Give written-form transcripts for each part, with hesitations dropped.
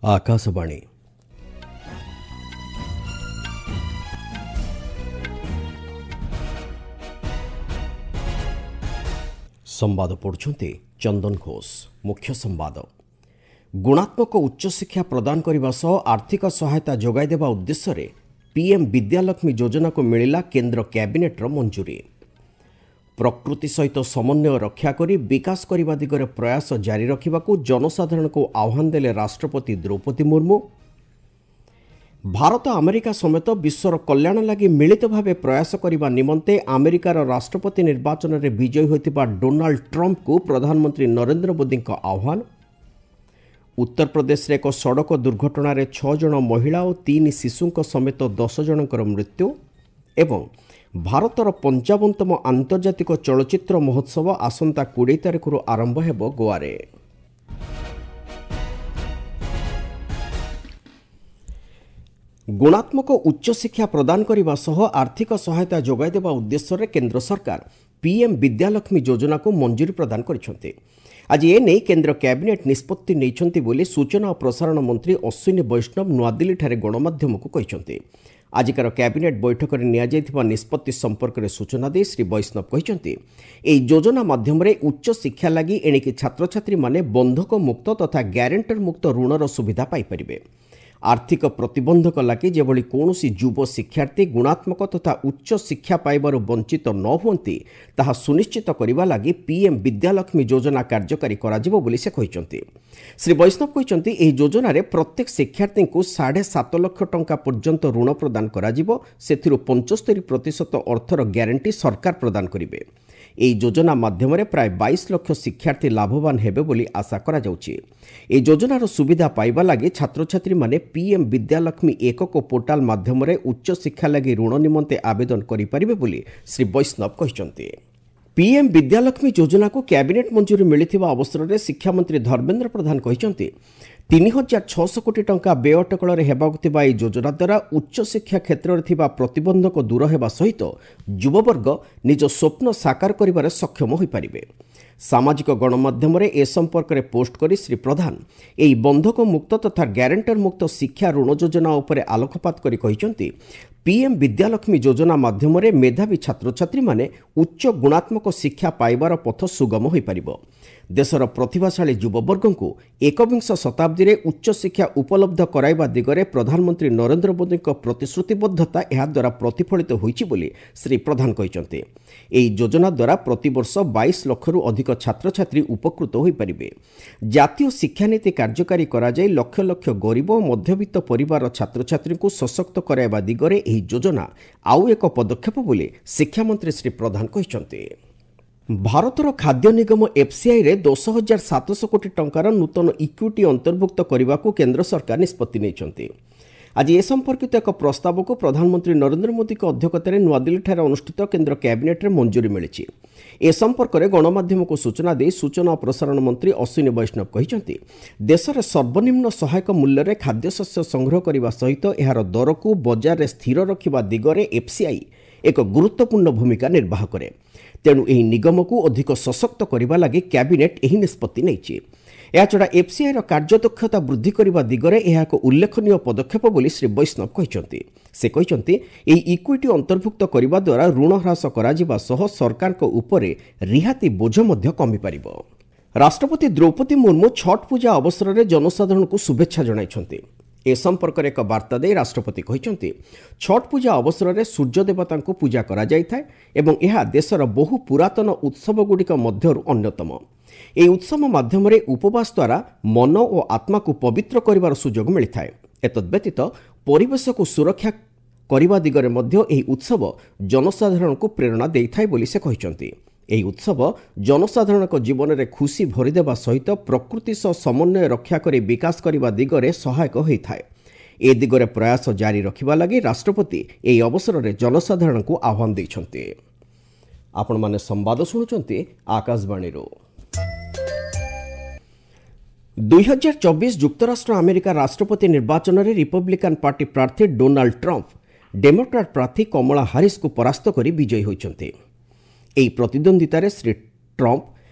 ଆକାଶବାଣୀ। ସମ୍ବାଦ ପଢୁଛନ୍ତି ଚନ୍ଦନ ଘୋଷ। ମୁଖ୍ୟ ସମ୍ବାଦ। ଗୁଣାତ୍ମକ ଉଚ୍ଚଶିକ୍ଷା ପ୍ରଦାନ କରିବା ସହ ଆର୍ଥିକ ସହାୟତା ଯୋଗାଇ ଦେବା ଉଦ୍ଦେଶ୍ୟରେ ପିଏମ୍ ବିଦ୍ୟାଲକ୍ଷ୍ମୀ ଯୋଜନାକୁ ମିଳିଲା କେନ୍ଦ୍ର କ୍ୟାବିନେଟ୍ର ମଞ୍ଜୁରୀ। ପ୍ରକୃତି ସହିତ ସମନ୍ୱୟ ରକ୍ଷା କରି ବିକାଶ କରିବା ଦିଗରେ ପ୍ରୟାସ ଜାରି ରଖିବାକୁ ଜନସାଧାରଣଙ୍କୁ ଆହ୍ୱାନ ଦେଲେ ରାଷ୍ଟ୍ରପତି ଦ୍ରୌପଦୀ ମୁର୍ମୁ। ଭାରତ ଆମେରିକା ସମେତ ବିଶ୍ୱର କଲ୍ୟାଣ ଲାଗି ମିଳିତ ଭାବେ ପ୍ରୟାସ କରିବା ନିମନ୍ତେ ଆମେରିକାର ରାଷ୍ଟ୍ରପତି ନିର୍ବାଚନରେ ବିଜୟୀ ହୋଇଥିବା ଡୋନାଲ୍ଡ ଟ୍ରମ୍ପଙ୍କୁ ପ୍ରଧାନମନ୍ତ୍ରୀ ନରେନ୍ଦ୍ର ମୋଦିଙ୍କ ଆହ୍ୱାନ। ଉତ୍ତରପ୍ରଦେଶରେ ଏକ ସଡ଼କ ଦୁର୍ଘଟଣାରେ 6 ଜଣ ମହିଳା ଓ 3 ଶିଶୁଙ୍କ ସମେତ 10 ଜଣଙ୍କର ମୃତ୍ୟୁ। ଏବଂ ଭାରତର 55ତମ ଆନ୍ତର୍ଜାତିକ ଚଳଚ୍ଚିତ୍ର ମହୋତ୍ସବ ଆସନ୍ତା 20 ତାରିଖରୁ ଆରମ୍ଭ ହେବ ଗୋଆରେ। ଗୁଣାତ୍ମକ ଉଚ୍ଚଶିକ୍ଷା ପ୍ରଦାନ କରିବା ସହ ଆର୍ଥିକ ସହାୟତା ଯୋଗାଇ ଦେବା ଉଦ୍ଦେଶ୍ୟରେ କେନ୍ଦ୍ର ସରକାର ପିଏମ୍ ବିଦ୍ୟାଲକ୍ଷ୍ମୀ ଯୋଜନାକୁ ମଞ୍ଜୁରୀ ପ୍ରଦାନ କରିଛନ୍ତି। ଆଜି ଏ ନେଇ କେନ୍ଦ୍ର କ୍ୟାବିନେଟ୍ ନିଷ୍ପତ୍ତି ନେଇଛନ୍ତି ବୋଲି ସୂଚନା ଓ ପ୍ରସାରଣ ମନ୍ତ୍ରୀ ଅଶ୍ୱିନୀ ବୈଷ୍ଣବ ନୂଆଦିଲ୍ଲୀଠାରେ ଗଣମାଧ୍ୟମକୁ କହିଛନ୍ତି। ଆଜିକାର କ୍ୟାବିନେଟ୍ ବୈଠକରେ ନିଆଯାଇଥିବା ନିଷ୍ପତ୍ତି ସମ୍ପର୍କରେ ସୂଚନା ଦେଇ ଶ୍ରୀ ବୈଷ୍ଣବ କହିଛନ୍ତି, ଏହି ଯୋଜନା ମାଧ୍ୟମରେ ଉଚ୍ଚଶିକ୍ଷା ଲାଗି ଏଣିକି ଛାତ୍ରଛାତ୍ରୀମାନେ ବନ୍ଧକ ମୁକ୍ତ ତଥା ଗ୍ୟାରେଣ୍ଟର ମୁକ୍ତ ଋଣର ସୁବିଧା ପାଇପାରିବେ। ଆର୍ଥିକ ପ୍ରତିବନ୍ଧକ ଲାଗି ଯେଭଳି କୌଣସି ଯୁବ ଶିକ୍ଷାର୍ଥୀ ଗୁଣାତ୍ମକ ତଥା ଉଚ୍ଚ ଶିକ୍ଷା ପାଇବାରୁ ବଞ୍ଚିତ ନ ହୁଅନ୍ତି, ତାହା ସୁନିଶ୍ଚିତ କରିବା ଲାଗି ପିଏମ୍ ବିଦ୍ୟାଲକ୍ଷ୍ମୀ ଯୋଜନା କାର୍ଯ୍ୟକାରୀ କରାଯିବ ବୋଲି ସେ କହିଛନ୍ତି। ଶ୍ରୀ ବୈଷ୍ଣବ କହିଛନ୍ତି, ଏହି ଯୋଜନାରେ ପ୍ରତ୍ୟେକ ଶିକ୍ଷାର୍ଥୀଙ୍କୁ 7.5 ଲକ୍ଷ ଟଙ୍କା ପର୍ଯ୍ୟନ୍ତ ଋଣ ପ୍ରଦାନ କରାଯିବ। ସେଥିରୁ 75% ଅର୍ଥର ଗ୍ୟାରେଣ୍ଟି ସରକାର ପ୍ରଦାନ କରିବେ। ଏହି ଯୋଜନା ମାଧ୍ୟମରେ ପ୍ରାୟ 22 ଲକ୍ଷ ଶିକ୍ଷାର୍ଥୀ ଲାଭବାନ ହେବେ ବୋଲି ଆଶା କରାଯାଉଛି। ଏହି ଯୋଜନାର ସୁବିଧା ପାଇବା ଲାଗି ଛାତ୍ରଛାତ୍ରୀମାନେ ପିଏମ୍ ବିଦ୍ୟାଲକ୍ଷ୍ମୀ ଏକକ ପୋର୍ଟାଲ ମାଧ୍ୟମରେ ଉଚ୍ଚଶିକ୍ଷା ଲାଗି ଋଣ ନିମନ୍ତେ ଆବେଦନ କରିପାରିବେ ବୋଲି ଶ୍ରୀ ବୈଷ୍ଣବ କହିଛନ୍ତି। ପିଏମ୍ ବିଦ୍ୟାଲକ୍ଷ୍ମୀ ଯୋଜନାକୁ କ୍ୟାବିନେଟ୍ ମଞ୍ଜୁରୀ ମିଳିଥିବା ଅବସରରେ ଶିକ୍ଷାମନ୍ତ୍ରୀ ଧର୍ମେନ୍ଦ୍ର ପ୍ରଧାନ କହିଛନ୍ତି, 3600 କୋଟି ଟଙ୍କା ବ୍ୟୟ ଅଟକଳରେ ହେବାକୁ ଥିବା ଏହି ଯୋଜନା ଦ୍ୱାରା ଉଚ୍ଚଶିକ୍ଷା କ୍ଷେତ୍ରରେ ଥିବା ପ୍ରତିବନ୍ଧକ ଦୂର ହେବା ସହିତ ଯୁବବର୍ଗ ନିଜ ସ୍ୱପ୍ନ ସାକାର କରିବାରେ ସକ୍ଷମ ହୋଇପାରିବେ। ସାମାଜିକ ଗଣମାଧ୍ୟମରେ ଏ ସମ୍ପର୍କରେ ପୋଷ୍ଟ କରି ଶ୍ରୀ ପ୍ରଧାନ ଏହି ବନ୍ଧକ ମୁକ୍ତ ତଥା ଗ୍ୟାରେଣ୍ଟର ମୁକ୍ତ ଶିକ୍ଷା ଋଣ ଯୋଜନା ଉପରେ ଆଲୋକପାତ କରି କହିଛନ୍ତି, ପିଏମ୍ ବିଦ୍ୟାଲକ୍ଷ୍ମୀ ଯୋଜନା ମାଧ୍ୟମରେ ମେଧାବୀ ଛାତ୍ରଛାତ୍ରୀମାନେ ଉଚ୍ଚ ଗୁଣାତ୍ମକ ଶିକ୍ଷା ପାଇବାର ପଥ ସୁଗମ ହୋଇପାରିବ। ଦେଶର ପ୍ରତିଭାଶାଳୀ ଯୁବବର୍ଗଙ୍କୁ ଏକବିଂଶ ଶତାବ୍ଦୀରେ ଉଚ୍ଚଶିକ୍ଷା ଉପଲବ୍ଧ କରାଇବା ଦିଗରେ ପ୍ରଧାନମନ୍ତ୍ରୀ ନରେନ୍ଦ୍ର ମୋଦିଙ୍କ ପ୍ରତିଶ୍ରୁତିବଦ୍ଧତା ଏହାଦ୍ୱାରା ପ୍ରତିଫଳିତ ହୋଇଛି ବୋଲି ଶ୍ରୀ ପ୍ରଧାନ କହିଛନ୍ତି। ଏହି ଯୋଜନା ଦ୍ୱାରା ପ୍ରତିବର୍ଷ 22 ଲକ୍ଷରୁ ଅଧିକ ଛାତ୍ରଛାତ୍ରୀ ଉପକୃତ ହୋଇପାରିବେ। ଜାତୀୟ ଶିକ୍ଷାନୀତି କାର୍ଯ୍ୟକାରୀ କରାଯାଇ ଲକ୍ଷ ଲକ୍ଷ ଗରିବ ଓ ମଧ୍ୟବିତ୍ତ ପରିବାରର ଛାତ୍ରଛାତ୍ରୀଙ୍କୁ ସଶକ୍ତ କରାଇବା ଦିଗରେ ଏହି ଯୋଜନା ଆଉ ଏକ ପଦକ୍ଷେପ ବୋଲି ଶିକ୍ଷାମନ୍ତ୍ରୀ ଶ୍ରୀ ପ୍ରଧାନ କହିଛନ୍ତି। ଭାରତର ଖାଦ୍ୟ ନିଗମ ଏଫ୍ସିଆଇରେ 10,700 କୋଟି ଟଙ୍କାର ନୂତନ ଇକ୍ୱିଟି ଅନ୍ତର୍ଭୁକ୍ତ କରିବାକୁ କେନ୍ଦ୍ର ସରକାର ନିଷ୍ପତ୍ତି ନେଇଛନ୍ତି। ଆଜି ଏ ସମ୍ପର୍କିତ ଏକ ପ୍ରସ୍ତାବକୁ ପ୍ରଧାନମନ୍ତ୍ରୀ ନରେନ୍ଦ୍ର ମୋଦିଙ୍କ ଅଧ୍ୟକ୍ଷତାରେ ନୂଆଦିଲ୍ଲୀଠାରେ ଅନୁଷ୍ଠିତ କେନ୍ଦ୍ର କ୍ୟାବିନେଟ୍ରେ ମଞ୍ଜୁରୀ ମିଳିଛି। ଏ ସମ୍ପର୍କରେ ଗଣମାଧ୍ୟମକୁ ସୂଚନା ଦେଇ ସୂଚନା ଓ ପ୍ରସାରଣ ମନ୍ତ୍ରୀ ଅଶ୍ୱିନୀ ବୈଷ୍ଣବ କହିଛନ୍ତି, ଦେଶରେ ସର୍ବନିମ୍ନ ସହାୟକ ମୂଲ୍ୟରେ ଖାଦ୍ୟଶସ୍ୟ ସଂଗ୍ରହ କରିବା ସହିତ ଏହାର ଦରକୁ ବଜାରରେ ସ୍ଥିର ରଖିବା ଦିଗରେ ଏଫ୍ସିଆଇ ଏକ ଗୁରୁତ୍ୱପୂର୍ଣ୍ଣ ଭୂମିକା ନିର୍ବାହ କରେ। ତେଣୁ ଏହି ନିଗମକୁ ଅଧିକ ସଶକ୍ତ କରିବା ଲାଗି କ୍ୟାବିନେଟ୍ ଏହି ନିଷ୍ପତ୍ତି ନେଇଛି। ଏହାଛଡ଼ା ଏଫ୍ସିଆଇର କାର୍ଯ୍ୟଦକ୍ଷତା ବୃଦ୍ଧି କରିବା ଦିଗରେ ଏହା ଏକ ଉଲ୍ଲେଖନୀୟ ପଦକ୍ଷେପ ବୋଲି ଶ୍ରୀ ବୈଷ୍ଣବ କହିଛନ୍ତି। ସେ କହିଛନ୍ତି, ଏହି ଇକ୍ୱିଟି ଅନ୍ତର୍ଭୁକ୍ତ କରିବା ଦ୍ୱାରା ଋଣ ହ୍ରାସ କରାଯିବା ସହ ସରକାରଙ୍କ ଉପରେ ରିହାତି ବୋଝ ମଧ୍ୟ କମିପାରିବ। ରାଷ୍ଟ୍ରପତି ଦ୍ରୌପଦୀ ମୁର୍ମୁ ଛଟ୍ ପୂଜା ଅବସରରେ ଜନସାଧାରଣଙ୍କୁ ଶୁଭେଚ୍ଛା ଜଣାଇଛନ୍ତି। ଏ ସମ୍ପର୍କରେ ଏକ ବାର୍ତ୍ତା ଦେଇ ରାଷ୍ଟ୍ରପତି କହିଛନ୍ତି, ଛଟ୍ ପୂଜା ଅବସରରେ ସୂର୍ଯ୍ୟଦେବତାଙ୍କୁ ପୂଜା କରାଯାଇଥାଏ ଏବଂ ଏହା ଦେଶର ବହୁ ପୁରାତନ ଉତ୍ସବଗୁଡ଼ିକ ମଧ୍ୟରୁ ଅନ୍ୟତମ। ଏହି ଉତ୍ସବ ମାଧ୍ୟମରେ ଉପବାସ ଦ୍ୱାରା ମନ ଓ ଆତ୍ମାକୁ ପବିତ୍ର କରିବାର ସୁଯୋଗ ମିଳିଥାଏ। ଏତଦ୍ବ୍ୟତୀତ ପରିବେଶକୁ ସୁରକ୍ଷା କରିବା ଦିଗରେ ମଧ୍ୟ ଏହି ଉତ୍ସବ ଜନସାଧାରଣଙ୍କୁ ପ୍ରେରଣା ଦେଇଥାଏ ବୋଲି ସେ କହିଛନ୍ତି। ଏହି ଉତ୍ସବ ଜନସାଧାରଣଙ୍କ ଜୀବନରେ ଖୁସି ଭରିଦେବା ସହିତ ପ୍ରକୃତି ସହ ସମନ୍ୱୟ ରକ୍ଷା କରି ବିକାଶ କରିବା ଦିଗରେ ସହାୟକ ହୋଇଥାଏ। ଏ ଦିଗରେ ପ୍ରୟାସ ଜାରି ରଖିବା ଲାଗି ରାଷ୍ଟ୍ରପତି ଏହି ଅବସରରେ ଜନସାଧାରଣଙ୍କୁ ଆହ୍ୱାନ ଦେଇଛନ୍ତି। ଆପଣମାନେ ସମ୍ବାଦ ଶୁଣୁଛନ୍ତି ଆକାଶବାଣୀରୁ। 2024 ଯୁକ୍ତରାଷ୍ଟ୍ର ଆମେରିକା ରାଷ୍ଟ୍ରପତି ନିର୍ବାଚନରେ ରିପବ୍ଲିକାନ୍ ପାର୍ଟି ପ୍ରାର୍ଥୀ ଡୋନାଲ୍ଡ ଟ୍ରମ୍ପ ଡେମୋକ୍ରାଟ୍ ପ୍ରାର୍ଥୀ କମଳା ହାରିସ୍ଙ୍କୁ ପରାସ୍ତ କରି ବିଜୟୀ ହୋଇଛନ୍ତି। ଏହି ପ୍ରତିଦ୍ୱନ୍ଦ୍ୱିତାରେ ଶ୍ରୀ ଟ୍ରମ୍ପ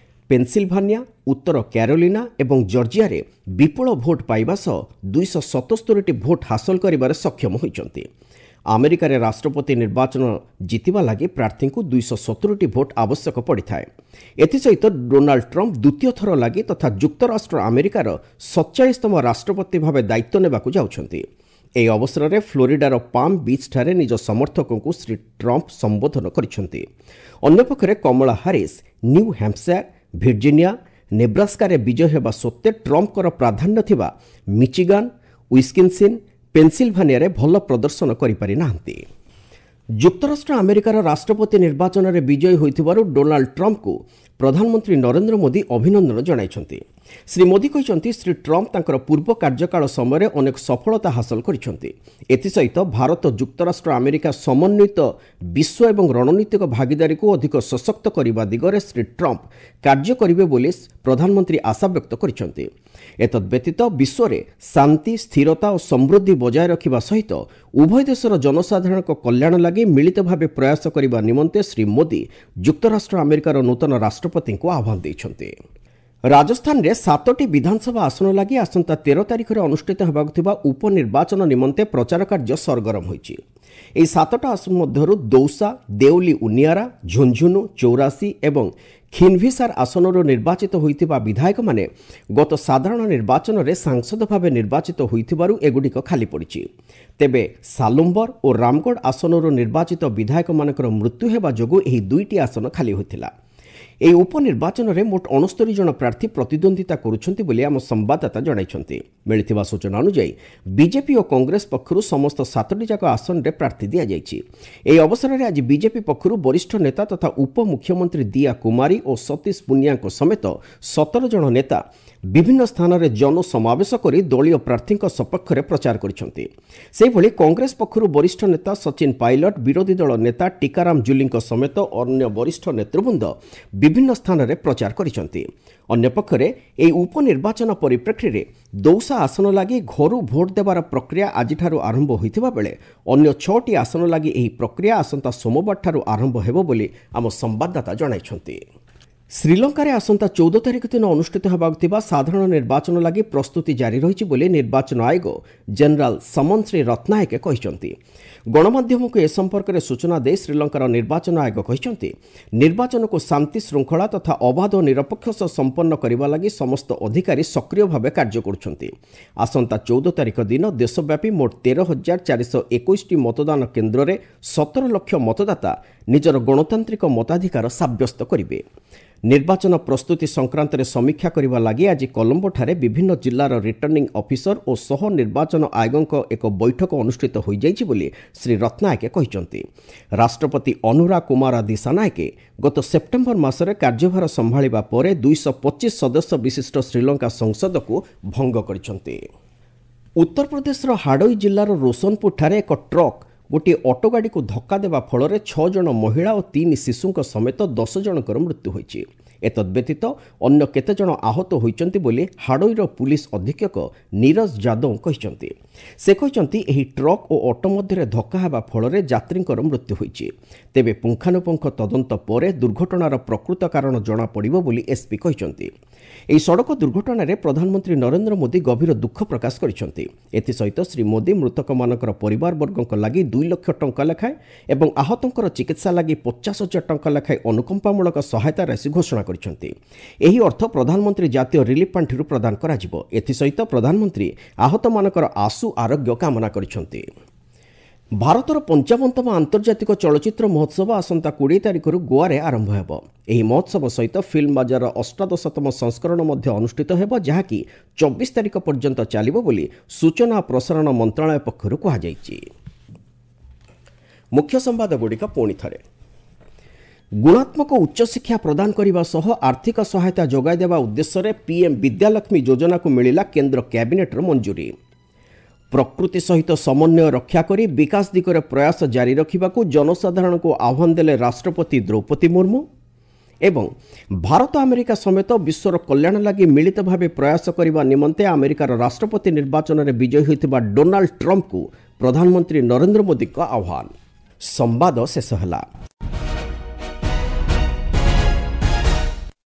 ପେନ୍ସିଲଭାନିଆ, ଉତ୍ତର କ୍ୟାରୋଲିନା ଏବଂ ଜର୍ଜିଆରେ ବିପୁଳ ଭୋଟ୍ ପାଇବା ସହ 277ଟି ଭୋଟ୍ ହାସଲ କରିବାରେ ସକ୍ଷମ ହୋଇଛନ୍ତି। ଆମେରିକାରେ ରାଷ୍ଟ୍ରପତି ନିର୍ବାଚନ ଜିତିବା ଲାଗି ପ୍ରାର୍ଥୀଙ୍କୁ 270ଟି ଭୋଟ୍ ଆବଶ୍ୟକ ପଡ଼ିଥାଏ। ଏଥିସହିତ ଡୋନାଲ୍ଡ ଟ୍ରମ୍ପ ଦ୍ୱିତୀୟ ଥର ଲାଗି ତଥା ଯୁକ୍ତରାଷ୍ଟ୍ର ଆମେରିକାର 47ତମ ରାଷ୍ଟ୍ରପତି ଭାବେ ଦାୟିତ୍ୱ ନେବାକୁ ଯାଉଛନ୍ତି। ଏହି ଅବସରରେ ଫ୍ଲୋରିଡାର ପାମ୍ ବିଚ୍ଠାରେ ନିଜ ସମର୍ଥକଙ୍କୁ ଶ୍ରୀ ଟ୍ରମ୍ପ ସମ୍ବୋଧନ କରିଛନ୍ତି। ଅନ୍ୟପକ୍ଷରେ କମଳା ହାରିସ୍ ନ୍ୟୁ ହ୍ୟାମ୍ପସାୟାର, ଭିର୍ଜିନିଆ, ନେବ୍ରାସ୍କାରେ ବିଜୟ ହେବା ସତ୍ତ୍ୱେ ଟ୍ରମ୍ପଙ୍କର ପ୍ରାଧାନ୍ୟ ଥିବା ମିଚିଗାନ, ୱିସ୍କିନ୍ସିନ୍, ପେନ୍ସିଲଭାନିଆରେ ଭଲ ପ୍ରଦର୍ଶନ କରିପାରି ନାହାନ୍ତି। ଯୁକ୍ତରାଷ୍ଟ୍ର ଆମେରିକାର ରାଷ୍ଟ୍ରପତି ନିର୍ବାଚନରେ ବିଜୟୀ ହୋଇଥିବାରୁ ଡୋନାଲ୍ଡ ଟ୍ରମ୍ପଙ୍କୁ ପ୍ରଧାନମନ୍ତ୍ରୀ ନରେନ୍ଦ୍ର ମୋଦି ଅଭିନନ୍ଦନ ଜଣାଇଛନ୍ତି। ଶ୍ରୀ ମୋଦି କହିଛନ୍ତି, ଶ୍ରୀ ଟ୍ରମ୍ପ ତାଙ୍କର ପୂର୍ବ କାର୍ଯ୍ୟକାଳ ସମୟରେ ଅନେକ ସଫଳତା ହାସଲ କରିଛନ୍ତି। ଏଥିସହିତ ଭାରତ ଯୁକ୍ତରାଷ୍ଟ୍ର ଆମେରିକା ସମନ୍ୱିତ ବିଶ୍ୱ ଏବଂ ରଣନୀତିକ ଭାଗିଦାରୀକୁ ଅଧିକ ସଶକ୍ତ କରିବା ଦିଗରେ ଶ୍ରୀ ଟ୍ରମ୍ପ କାର୍ଯ୍ୟ କରିବେ ବୋଲି ପ୍ରଧାନମନ୍ତ୍ରୀ ଆଶାବ୍ୟକ୍ତ କରିଛନ୍ତି। ଏତଦ୍ବ୍ୟତୀତ ବିଶ୍ୱରେ ଶାନ୍ତି, ସ୍ଥିରତା ଓ ସମୃଦ୍ଧି ବଜାୟ ରଖିବା ସହିତ ଉଭୟ ଦେଶର ଜନସାଧାରଣଙ୍କ କଲ୍ୟାଣ ଲାଗି ମିଳିତ ଭାବେ ପ୍ରୟାସ କରିବା ନିମନ୍ତେ ଶ୍ରୀ ମୋଦି ଯୁକ୍ତରାଷ୍ଟ୍ର ଆମେରିକାର ନୂତନ ରାଷ୍ଟ୍ରପତିଙ୍କୁ ଆହ୍ୱାନ ଦେଇଛନ୍ତି। ରାଜସ୍ଥାନରେ 7ଟି ବିଧାନସଭା ଆସନ ଲାଗି ଆସନ୍ତା 13 ତାରିଖରେ ଅନୁଷ୍ଠିତ ହେବାକୁ ଥିବା ଉପନିର୍ବାଚନ ନିମନ୍ତେ ପ୍ରଚାର କାର୍ଯ୍ୟ ସରଗରମ ହୋଇଛି। ଏହି 7ଟା ଆସନ ମଧ୍ୟରୁ ଦୌସା, ଦେଉଲି ଉନିଆରା, ଝୁଞ୍ଝୁନୁ, ଚୌରାସୀ ଏବଂ ଖିନଭିସାର ଆସନରୁ ନିର୍ବାଚିତ ହୋଇଥିବା ବିଧାୟକମାନେ ଗତ ସାଧାରଣ ନିର୍ବାଚନରେ ସାଂସଦ ଭାବେ ନିର୍ବାଚିତ ହୋଇଥିବାରୁ ଏଗୁଡ଼ିକ ଖାଲି ପଡ଼ିଛି। ତେବେ ସାଲୁମ୍ବର ଓ ରାମଗଡ଼ ଆସନରୁ ନିର୍ବାଚିତ ବିଧାୟକମାନଙ୍କର ମୃତ୍ୟୁ ହେବା ଯୋଗୁଁ ଏହି 2ଟି ଆସନ ଖାଲି ହୋଇଥିଲା। ଏହି ଉପନିର୍ବାଚନରେ ମୋଟ 69 ଜଣ ପ୍ରାର୍ଥୀ ପ୍ରତିଦ୍ୱନ୍ଦିତା କରୁଛନ୍ତି ବୋଲି ଆମ ସମ୍ବାଦଦାତା ଜଣାଇଛନ୍ତି। ମିଳିଥିବା ସୂଚନା ଅନୁଯାୟୀ ବିଜେପି ଓ କଂଗ୍ରେସ ପକ୍ଷରୁ ସମସ୍ତ 7ଟି ଯାକ ଆସନରେ ପ୍ରାର୍ଥୀ ଦିଆଯାଇଛି। ଏହି ଅବସରରେ ଆଜି ବିଜେପି ପକ୍ଷରୁ ବରିଷ୍ଠ ନେତା ତଥା ଉପମୁଖ୍ୟମନ୍ତ୍ରୀ ଦିୟା କୁମାରୀ ଓ ସତୀଶ ପୁନିଆଙ୍କ ସମେତ 17 ଜଣ ନେତା ବିଭିନ୍ନ ସ୍ଥାନରେ ଜନସମାବେଶ କରି ଦଳୀୟ ପ୍ରାର୍ଥୀଙ୍କ ସପକ୍ଷରେ ପ୍ରଚାର କରିଛନ୍ତି। ସେହିଭଳି କଂଗ୍ରେସ ପକ୍ଷରୁ ବରିଷ୍ଠ ନେତା ସଚିନ ପାଇଲଟ, ବିରୋଧୀ ଦଳ ନେତା ଟିକାରାମ ଜୁଲିଙ୍କ ସମେତ ଅନ୍ୟ ବରିଷ୍ଠ ନେତୃବୃନ୍ଦ ବିଭିନ୍ନ ସ୍ଥାନରେ ପ୍ରଚାର କରିଛନ୍ତି। ଅନ୍ୟପକ୍ଷରେ ଏହି ଉପନିର୍ବାଚନ ପରିପ୍ରେକ୍ଷୀରେ ଦୌସା ଆସନ ଲାଗି ଘରୁ ଭୋଟ୍ ଦେବାର ପ୍ରକ୍ରିୟା ଆଜିଠାରୁ ଆରମ୍ଭ ହୋଇଥିବା ବେଳେ ଅନ୍ୟ 6ଟି ଆସନ ଲାଗି ଏହି ପ୍ରକ୍ରିୟା ଆସନ୍ତା ସୋମବାରଠାରୁ ଆରମ୍ଭ ହେବ ବୋଲି ଆମ ସମ୍ବାଦଦାତା ଜଣାଇଛନ୍ତି। ଶ୍ରୀଲଙ୍କାରେ ଆସନ୍ତା 14 ତାରିଖ ଦିନ ଅନୁଷ୍ଠିତ ହେବାକୁ ଥିବା ସାଧାରଣ ନିର୍ବାଚନ ଲାଗି ପ୍ରସ୍ତୁତି ଜାରି ରହିଛି ବୋଲି ନିର୍ବାଚନ ଆୟୋଗ ଜେନେରାଲ ସମନ ଶ୍ରୀ ରତ୍ନାୟକେ କହିଛନ୍ତି। ଗଣମାଧ୍ୟମକୁ ଏ ସମ୍ପର୍କରେ ସୂଚନା ଦେଇ ଶ୍ରୀଲଙ୍କାର ନିର୍ବାଚନ ଆୟୋଗ କହିଛନ୍ତି, ନିର୍ବାଚନକୁ ଶାନ୍ତି ଶୃଙ୍ଖଳା ତଥା ଅବାଧ ଓ ନିରପେକ୍ଷ ସହ ସମ୍ପନ୍ନ କରିବା ଲାଗି ସମସ୍ତ ଅଧିକାରୀ ସକ୍ରିୟ ଭାବେ କାର୍ଯ୍ୟ କରୁଛନ୍ତି। ଆସନ୍ତା 14 ତାରିଖ ଦିନ ଦେଶବ୍ୟାପୀ ମୋଟ 13,421ଟି ମତଦାନ କେନ୍ଦ୍ରରେ 17 ଲକ୍ଷ ମତଦାତା ନିଜର ଗଣତାନ୍ତ୍ରିକ ମତାଧିକାର ସାବ୍ୟସ୍ତ କରିବେ। ନିର୍ବାଚନ ପ୍ରସ୍ତୁତି ସଂକ୍ରାନ୍ତରେ ସମୀକ୍ଷା କରିବା ଲାଗି ଆଜି କଲମ୍ବୋଠାରେ ବିଭିନ୍ନ ଜିଲ୍ଲାର ରିଟର୍ଣ୍ଣିଂ ଅଫିସର ଓ ସହ ନିର୍ବାଚନ ଆୟୋଗଙ୍କ ଏକ ବୈଠକ ଅନୁଷ୍ଠିତ ହୋଇଯାଇଛି ବୋଲି ଶ୍ରୀ ରତ୍ନାୟକେ କହିଛନ୍ତି। ରାଷ୍ଟ୍ରପତି ଅନୁରା କୁମାରା ଦିଶାନାୟକେ ଗତ ସେପ୍ଟେମ୍ବର ମାସରେ କାର୍ଯ୍ୟଭାର ସମ୍ଭାଳିବା ପରେ 225 ସଦସ୍ୟ ବିଶିଷ୍ଟ ଶ୍ରୀଲଙ୍କା ସଂସଦକୁ ଭଙ୍ଗ କରିଛନ୍ତି। ଉତ୍ତରପ୍ରଦେଶର ହାଡ଼ୋଇ ଜିଲ୍ଲାର ରୋଶନପୁରଠାରେ ଏକ ଟ୍ରକ୍ ଗୋଟିଏ ଅଟୋଗାଡ଼ିକୁ ଧକ୍କା ଦେବା ଫଳରେ 6 ଜଣ ମହିଳା ଓ 3 ଶିଶୁଙ୍କ ସମେତ 10 ଜଣଙ୍କର ମୃତ୍ୟୁ ହୋଇଛି। ଏତଦ୍ବ୍ୟତୀତ ଅନ୍ୟ କେତେଜଣ ଆହତ ହୋଇଛନ୍ତି ବୋଲି ହାଡ଼ୋଇର ପୁଲିସ ଅଧୀକ୍ଷକ ନୀରଜ ଯାଦବ କହିଛନ୍ତି। ସେ କହିଛନ୍ତି, ଏହି ଟ୍ରକ୍ ଓ ଅଟୋ ମଧ୍ୟରେ ଧକ୍କା ହେବା ଫଳରେ ଯାତ୍ରୀଙ୍କର ମୃତ୍ୟୁ ହୋଇଛି। ତେବେ ପୁଙ୍ଖାନୁପୁଙ୍ଖ ତଦନ୍ତ ପରେ ଦୁର୍ଘଟଣାର ପ୍ରକୃତ କାରଣ ଜଣାପଡ଼ିବ ବୋଲି ଏସ୍ପି କହିଛନ୍ତି। ଏହି ସଡ଼କ ଦୁର୍ଘଟଣାରେ ପ୍ରଧାନମନ୍ତ୍ରୀ ନରେନ୍ଦ୍ର ମୋଦି ଗଭୀର ଦୁଃଖ ପ୍ରକାଶ କରିଛନ୍ତି। ଏଥିସହିତ ଶ୍ରୀ ମୋଦି ମୃତକମାନଙ୍କର ପରିବାରବର୍ଗଙ୍କ ଲାଗି 2 ଲକ୍ଷ ଟଙ୍କା ଲେଖାଏଁ ଏବଂ ଆହତଙ୍କର ଚିକିତ୍ସା ଲାଗି 50,000 ଟଙ୍କା ଲେଖାଏଁ ଅନୁକମ୍ପାମୂଳକ ସହାୟତା ରାଶି ଘୋଷଣା କରିଛନ୍ତି। ଏହି ଅର୍ଥ ପ୍ରଧାନମନ୍ତ୍ରୀ ଜାତୀୟ ରିଲିଫ୍ ପାଣ୍ଠିରୁ ପ୍ରଦାନ କରାଯିବ। ଏଥିସହିତ ପ୍ରଧାନମନ୍ତ୍ରୀ ଆହତମାନଙ୍କର ଆଶୁ ଆରୋଗ୍ୟ କାମନା କରିଛନ୍ତି। ଭାରତର 55ତମ ଆନ୍ତର୍ଜାତିକ ଚଳଚ୍ଚିତ୍ର ମହୋତ୍ସବ ଆସନ୍ତା 20 ତାରିଖରୁ ଗୋଆରେ ଆରମ୍ଭ ହେବ। ଏହି ମହୋତ୍ସବ ସହିତ ଫିଲ୍ମ ବାଜାରର 18ତମ ସଂସ୍କରଣ ମଧ୍ୟ ଅନୁଷ୍ଠିତ ହେବ, ଯାହାକି 24 ତାରିଖ ପର୍ଯ୍ୟନ୍ତ ଚାଲିବ ବୋଲି ସୂଚନା ଓ ପ୍ରସାରଣ ମନ୍ତ୍ରଣାଳୟ ପକ୍ଷରୁ କୁହାଯାଇଛି। ମୁଖ୍ୟ ସମ୍ବାଦଗୁଡ଼ିକ ପୁଣି ଥରେ। ଗୁଣାତ୍ମକ ଉଚ୍ଚଶିକ୍ଷା ପ୍ରଦାନ କରିବା ସହ ଆର୍ଥିକ ସହାୟତା ଯୋଗାଇ ଦେବା ଉଦ୍ଦେଶ୍ୟରେ ପିଏମ୍ ବିଦ୍ୟାଲକ୍ଷ୍ମୀ ଯୋଜନାକୁ ମିଳିଲା କେନ୍ଦ୍ର କ୍ୟାବିନେଟ୍ର ମଞ୍ଜୁରୀ। ପ୍ରକୃତି ସହିତ ସମନ୍ୱୟ ରକ୍ଷା କରି ବିକାଶ ଦିଗରେ ପ୍ରୟାସ ଜାରି ରଖିବାକୁ ଜନସାଧାରଣଙ୍କୁ ଆହ୍ୱାନ ଦେଲେ ରାଷ୍ଟ୍ରପତି ଦ୍ରୌପଦୀ ମୁର୍ମୁ। ଏବଂ ଭାରତ ଆମେରିକା ସମେତ ବିଶ୍ୱର କଲ୍ୟାଣ ଲାଗି ମିଳିତ ଭାବେ ପ୍ରୟାସ କରିବା ନିମନ୍ତେ ଆମେରିକାର ରାଷ୍ଟ୍ରପତି ନିର୍ବାଚନରେ ବିଜୟୀ ହୋଇଥିବା ଡୋନାଲ୍ଡ ଟ୍ରମ୍ପଙ୍କୁ ପ୍ରଧାନମନ୍ତ୍ରୀ ନରେନ୍ଦ୍ର ମୋଦିଙ୍କ ଆହ୍ୱାନ। ସମ୍ବାଦ ଶେଷ ହେଲା।